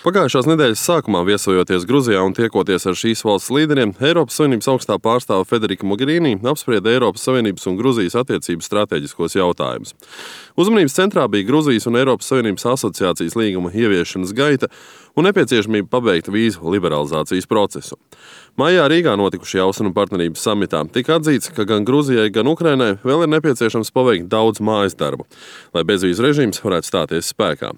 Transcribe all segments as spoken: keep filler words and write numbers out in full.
Pagājušās nedēļas sākumā viesojoties Gruzijā un tiekoties ar šīs valsts līderiem, Eiropas Savienības augstā pārstāve Federika Mogherini apsprieda Eiropas Savienības un Gruzijas attiecību stratēģiskos jautājumus. Uzmanības centrā bija Gruzijas un Eiropas Savienības asociācijas līguma ieviešanas gaita un nepieciešamība pabeigt vīzu liberalizācijas procesu. Maijā Rīgā notikušajā Austrumu partnerības samitā tika atzīts, ka gan Gruzijai, gan Ukrainai vēl ir nepieciešams paveikt daudz mājas darbu, lai bezvīzu režīms varētu stāties spēkā.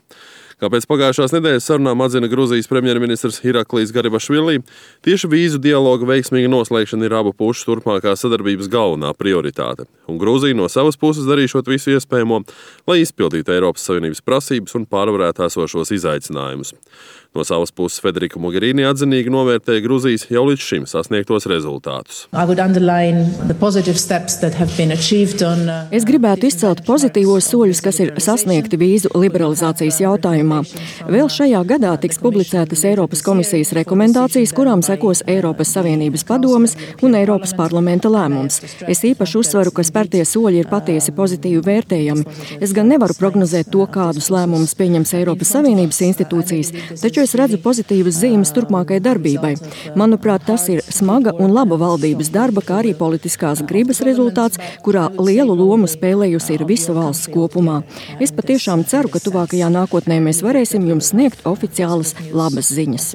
Kā pēc pagājušās nedēļas sarunām atzina Gruzijas premjerministrs Iraklijs Garibašvili, tieši vīzu dialoga veiksmīga noslēgšana ir abu pušu turpmākā sadarbības galvenā prioritāte, un Gruzija no savas puses darīšot visu iespējamo, lai izpildītu Eiropas Savienības prasības un pārvarētu esošos izaicinājumus. No savas puses Federika Mogherini atzinīgi novērtēja Gruzijas jau līdz šim sasniegtos rezultātus. Es gribētu izcelt pozitīvos soļus, kas ir sasniegti vīzu liberalizācijas jautājumā. Vēl šajā gadā tiks publicētas Eiropas komisijas rekomendācijas, kurām sekos Eiropas Savienības padomes un Eiropas parlamenta lēmums. Es īpaši uzsveru, ka spērtie soļi ir patiesi pozitīvi vērtējami. Es gan nevaru prognozēt to, kādus lēmumus pieņems Eiropas Savienības institūcijas, taču es redzu pozitīvas zīmes turpmākai darbībai. Manuprāt, tas ir smaga un laba valdības darba, kā arī politiskās gribas rezultāts, kurā lielu lomu spēlējusi ir visa valsts kopumā. Es patiešām ceru, ka tuvākajā nākotnē mēs varēsim jums sniegt oficiālas labas ziņas.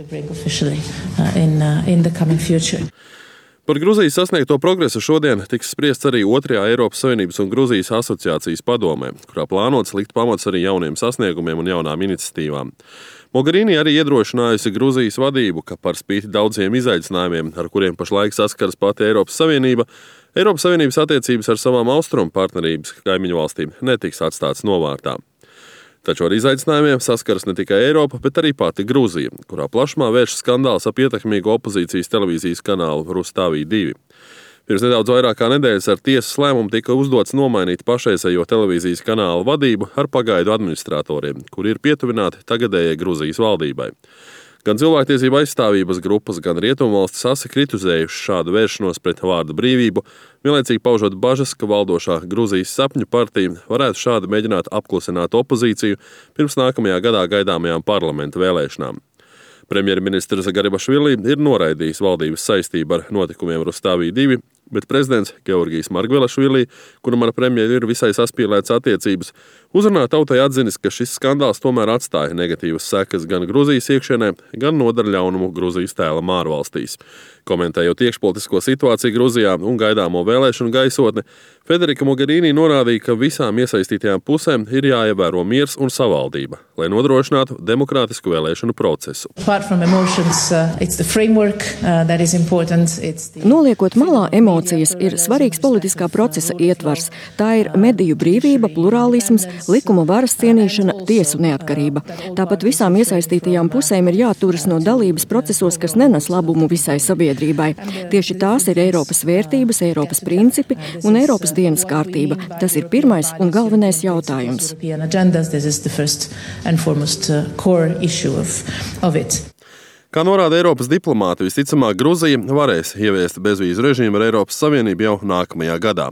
Par Gruzijas sasniegto progresu šodien tiks spriests arī otrajā Eiropas Savienības un Gruzijas asociācijas padomē, kurā plānots likt pamats arī jauniem sasniegumiem un jaunām iniciatīvām. Mogherini arī iedrošinājusi Gruzijas vadību, ka par spīti daudziem izaicinājumiem, ar kuriem pašlaik saskaras pati Eiropas Savienība, Eiropas Savienības attiecības ar savām austrumu partnerības kaimiņu valstīm netiks atstāts novārtā. Taču ar izaicinājumiem saskaras ne tikai Eiropa, bet arī pati Gruzija, kurā plašumā vērš skandāls ap ietekmīgu opozīcijas televīzijas kanālu Rustavi divi. Pirms nedaudz vairāk kā nedēļas ar tiesas lēmumu tika uzdots nomainīt pašreizējo televīzijas kanālu vadību ar pagaidu administratoriem, kuri ir pietuvināti tagadējai Gruzijas valdībai. Gan cilvēktiesība aizstāvības grupas, gan rietumvalstis asi kritizējuši šādu vēršanos pret vārda brīvību, vienlaicīgi paužot bažas, ka valdošā Gruzijas sapņu partija varētu šādi mēģināt apklusināt opozīciju pirms nākamajā gadā gaidāmajām parlamenta vēlēšanām. Premjerministrs Garibašvili ir noraidījis valdības saistību ar notikumiem Rustavi divi, bet prezidents Georgijs Margvelašvili, kuram ar premjeru ir visai saspīlētas attiecības, uzrunā tautai atzinis, ka šis skandāls tomēr atstāja negatīvas sekas gan Gruzijas iekšienē, gan nodara ļaunumu Gruzijas tēlam ārvalstīs. Komentējot iekšpolitisko situāciju Gruzijā un gaidāmo vēlēšanu gaisotni, Federika Mogherini norādīja, ka visām iesaistītajām pusēm ir jāievēro miers un savaldība, lai nodrošinātu demokrātisku vēlēšanu procesu. Noliekot malā emocijas, ir svarīgs politiskā procesa ietvars. Tā ir mediju brīvība, plurālisms, likuma varas cienīšana, tiesu neatkarība. Tāpat visām iesaistītajām pusēm ir jāturas no dalības procesos, kas nenes labumu visai sabiedrībai. Tieši tās ir Eiropas vērtības, Eiropas principi un Eiropas dienas kārtība. Tas ir pirmais un galvenais jautājums. Kā norāda Eiropas diplomāti, visticamāk Gruzija varēs ieviest bezvīzu režīmu ar Eiropas Savienību jau nākamajā gadā.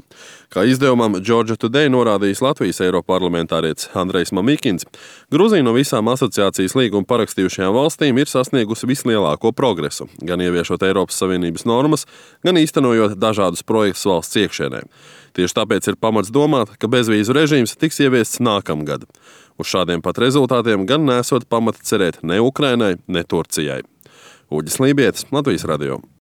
Kā izdevumam Georgia Today norādījis Latvijas eiroparlamentārietis Andrejs Mamikins, Gruzija no visām asociācijas līgumu parakstījušajām valstīm ir sasniegusi vislielāko progresu, gan ieviešot Eiropas Savienības normas, gan īstenojot dažādus projektus valsts iekšienē. Tieši tāpēc ir pamats domāt, ka bezvīzu režīms tiks ieviests nākamgad. Uz šādiem pat rezultātiem gan nesot pamata cerēt ne Ukrainai, ne Turcijai. Uģis Lībietis, Latvijas radio.